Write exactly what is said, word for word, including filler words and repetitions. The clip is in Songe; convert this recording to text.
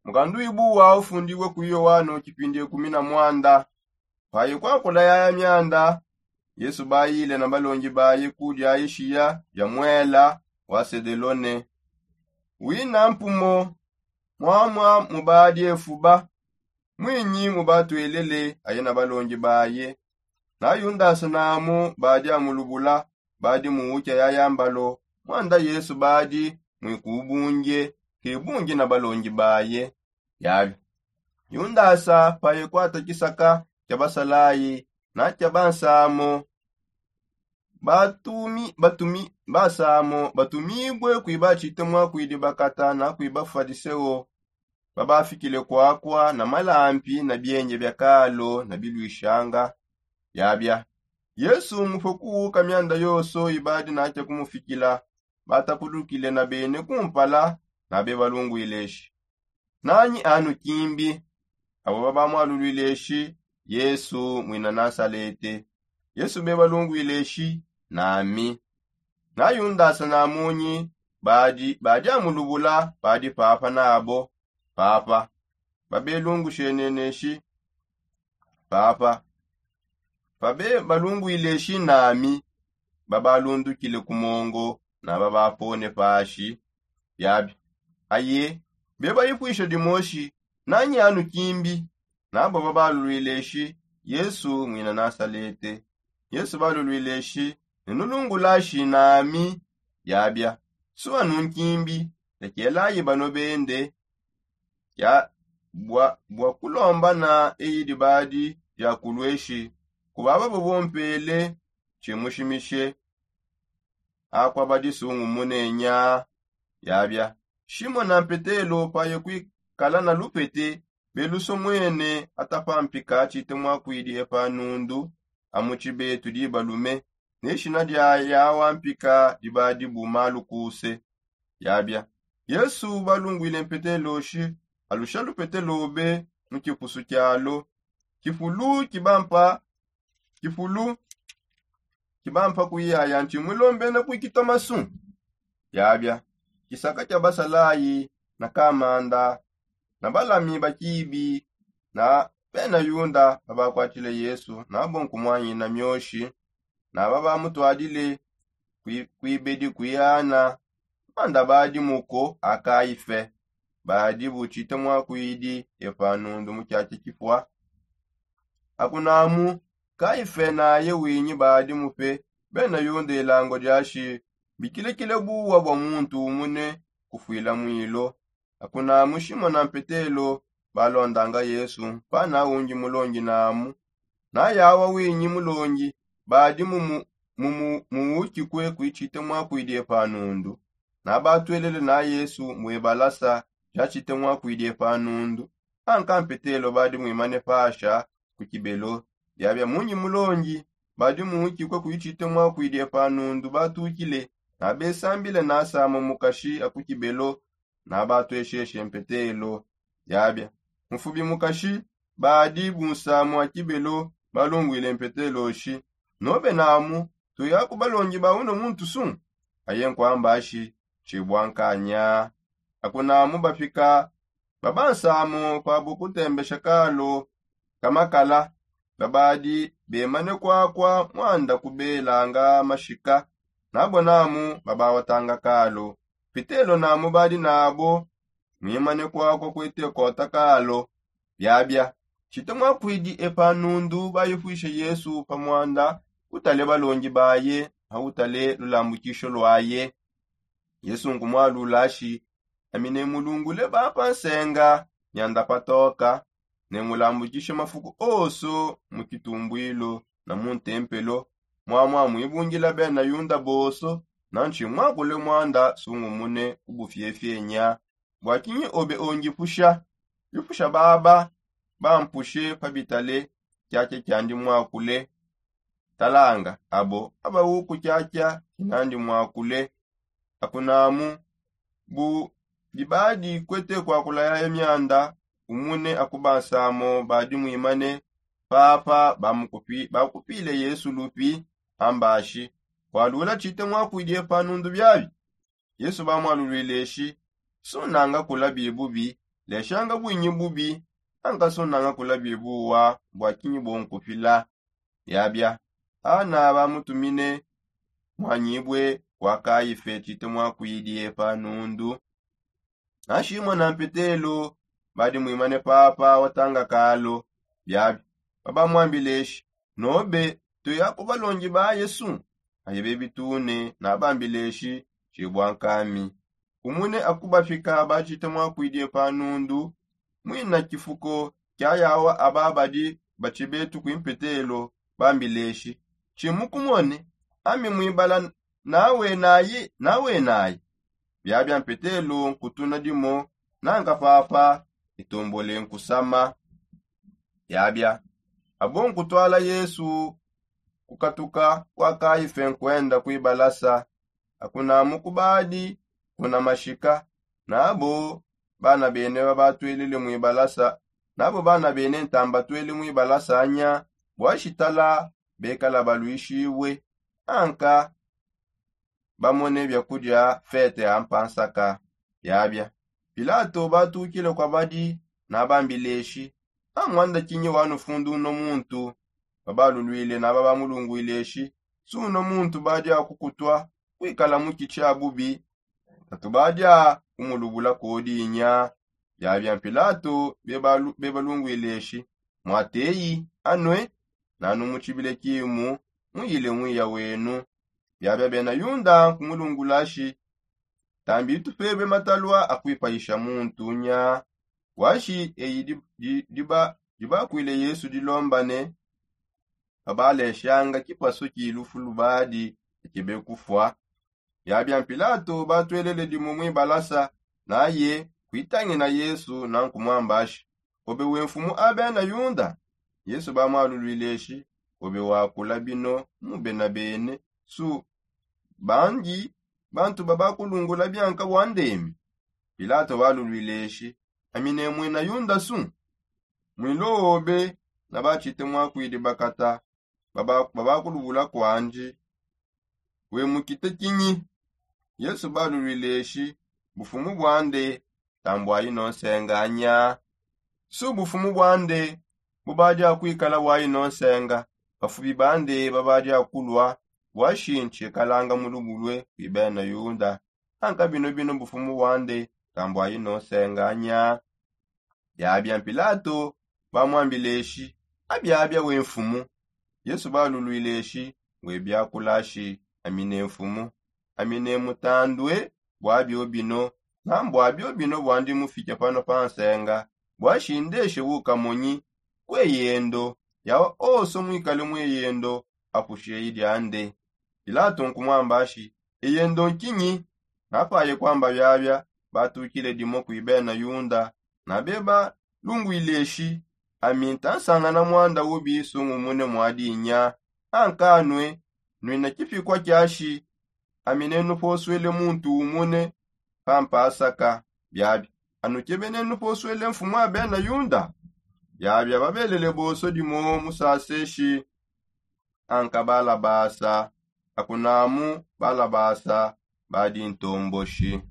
Mukandu wibuwa ufundibue ku yohano kipindi ekumi na mwanda. Paye kwakula yaya myanda, yesu bayile na balongi baye ku diayishiya dia mwela wa sedelone. Wina mpumo mwamwa mu badi efuba, mwinyi mu batwelele aye na balongi baye. Na yundasa namu badi amulubula, badi muwukia yaya mbalo. Mwanda yesu badi mwikubunge kibungi na balongi baye. Yabi yundasa paye kwata kisaka kia basalayi na kia bansamo. Batumi batumi basamo batumibue kwiba tshite mwakwidi bakata na kwiba fadiseo. Babafikile kwakwa na malampi na bienye bia kalo na bilwishanga. Yabia yesu mufue kuwuka myanda yonso ibadi nakia kumufikila. Batapudukile na bene kumpala na bebalungwile eshi, nanyi anu kimbi? Abo babamwalulwile eshi, yesu mwina nasalete. Yesu bebalungwile eshi, nami. Na yundasa namunyi badi badi amulubula badi papa nabo. Papa babelungushenene eshi, papa pabe balungwile eshi nami. Babalundukile ku mongo na babapone pashi. Biabi aye bebayipwisha dimoshi, nanyi anu kimbi? Nabo babalulwile eshi, yesu mwina nasalete. Yesu balulwile eshi, nenulungulashi nami. Biabia suwa nunkimbi, lekelayi bano bende. Bua bua kulombana eyi dibadi diakulweshi kubaba bobompele tshimushimishe. Akua badi sungumune nya. Yabia shimona mpetelo paye kwikala na lupete belusomwene atapa mpika tshite mwakwidi epa nundu. Amu tshibetu dibalume ne shina dia yawa mpika dibadi bu malu kuse. Yabia yesu balungwile mpetelo shi, alusha lupete lobe mu kipusu kialo. Kifulu kibampa kifulu kibampa kuyaya ntshi mulombene ku kitomasu. Yabia kisaka kia basalayi na kamanda na balami ba kibi na bena yuda babakwatshile yesu nabo nkumwanyina myoshi. Naba bamutwadile kwibedi kwiana. Manda badi muko a kaife badi butshite mwakwidi epa nundu mu kiaki kifua. Akunamu kaife naye winyi badi mupe bena yuda elango diashi bikilekile buwa bua muntu umune kufuila mwilo. Akunamu shimona mpetelo balondanga yesu mpana ungi mulongi namu. Nayawa winyi mulongi badi mumu muwukikue kuitshite mwakwidi epa nundu. Nabatwelele na yesu mbuebalasa diatshite mwakwidi epa nundu. Anka mpetelo badi mwimane pasha ku kibelo. Biabia munyi mulongi badi muwukikue kuitshite mwakwidi epa nundu batukile. Nabesambile nasama mukashi aku kibelo. Nabatuesheshe mpetelo. Yabia mufubi mukashi badi bunsamu wa kibelo balungwile mpetelo shi, nobe namu tuya ku balongi ba uno muntu su? Aye nkuamba shi, tshibua nkanya. Akunamu bapika babansamu pabu kutembesha kalo kamakala babadi bemane kwakwa mwanda kubelanga mashika. Nabo namu babawatanga kalo pitelo namu badi nabo mwimane kwakwa kwete kota kalo. Biabia tshite mwakwidi epa nundu bayipwishe yesu pa mwanda utale balongi baye autale lulambukisho lwaye. Yesu nkumwalula shi, ami nemulungule bapa nsenga mianda patoka, nemulambukishe mafuku onso mu kitumbwilo na mu ntempelo. Mwamwa mwibungila bena yuda bonso na ntshimwakule mwanda sungumune ku bufiefie nya. Bua kinyi obe ongipusha? Bipusha baba bampushe pa bitale kiakia kiandi mwakule. Talanga abo abawuku kiakia kinandi mwakule. Akunamu bu dibadi kwete kwakula yaya mianda umune akubansamo badi mwimane papa bakupile yesu lupi. Ambashi, kualula tshite mwakwidi epa nundu biabi? Yesu bamwalulwile eshi, sunanga kula bibubi leshanga bwinyi bubi, ankasunanga kula bibuwa bwa kinyi bonkupila. Biabia ana bamutumine mwanyibwe kwa kaife tshite mwakwidie pa nundu. Ashimwa na mpetelo badi mwimane papa watanga kalo. Biabia babamwambileshi, nobe tuya ku balongi ba yesu? Aye bebitune nabambileshi, tshibwa nkami kumune akubafika batshite mwakwidie pa nundu. Mwina kifuko kia yawa aba badi batshibetu kwi mpetelo bambileshi, tshimukumone ami mwibala nawenayi nawenayi. Biabia mpetelo nkutuna dimo nanka papa itombole nkusama. Biabia abo nkutwala yesu kukatuka kwa kaife nkwenda kwibalasa. Akunamu kubadi kuna mashika nabo bana bene babatwelele mwibalasa nabo bana bene ntambatwele mwibalasa nya bwashitala bekala balwishibwe anka bamone biakudia fete ampansaka. Biabia pilato batukile kwa badi nabambileshi, amwanda kinyi wanufundu uno muntu? Babalulwile naba bamulungwileshi, si uno muntu badi akukutwa kwikala mu kitshi abubi? Tatu badi akumulubula kodinya. Biabia pilato bebalungwileshi, mwateyi anwe nanu mutshibile kimu muyile mwiya wenu. Biabia bena yunda nkumulungulashi, tambi tupebe matalua akuipayisha muntu nya? Washi eyi dibakwile yesu dilombane. Babaleshanga kipasu ki lufu lubadi ekebe kufua. Biabia pilato batwelele dimu mwibalasa naye kuitangina yesu nankumwambashi, obe we nfumu a bena yunda? Yesu bamwalulwileshi, obe wakula bino mu bena bene su bandi bantu babakulungula bianka bwa ndemi? Pilato balulwileshi, ami ne mwina yunda su? Mwilo obe na batshite mwakwidi bakata babakulubula kwandi. We mukite kinyi? Yesu balulwileshi, bufumu bwande tambwayi nonsenga nya? Su bufumu bwande bubadi akwikala bwayi nonsenga? Bafubi bande babadi akulua bwashi ntshikalanga mulubulue kwi bena yunda? Anka bino bino bufumu bwande tambwayi nonsenga nya? Biabia pilato bamwambileshi, abiabia we nfumu? Yesu balulwileshi, we biakulashi, ami ne nfumu. Ami ne mutandue bwabio bino na mbwabio bino bwandi mufike pano pa nsenga bwashi ndeshe ukamonyi kweyendo yawa oso mwikale mweyendo. Apushi eyi diande. Pilato nkumwambashi, eyendo nkinyi? Napaye kwamba biabia batukile dimo kwi bena yunda na beba lungwileshi, ami ntansangana mwanda ubi sungumune mwadinya? Ankanue nwina kipikua kiashi ami nenuposwele muntu umune pampasaka. Biabi anu kebe nenuposwele nfumu a bena yunda? Biabi ababelele boso dimo musaseshi. Anka balabasa akunamu balabasa badi ntomboshi.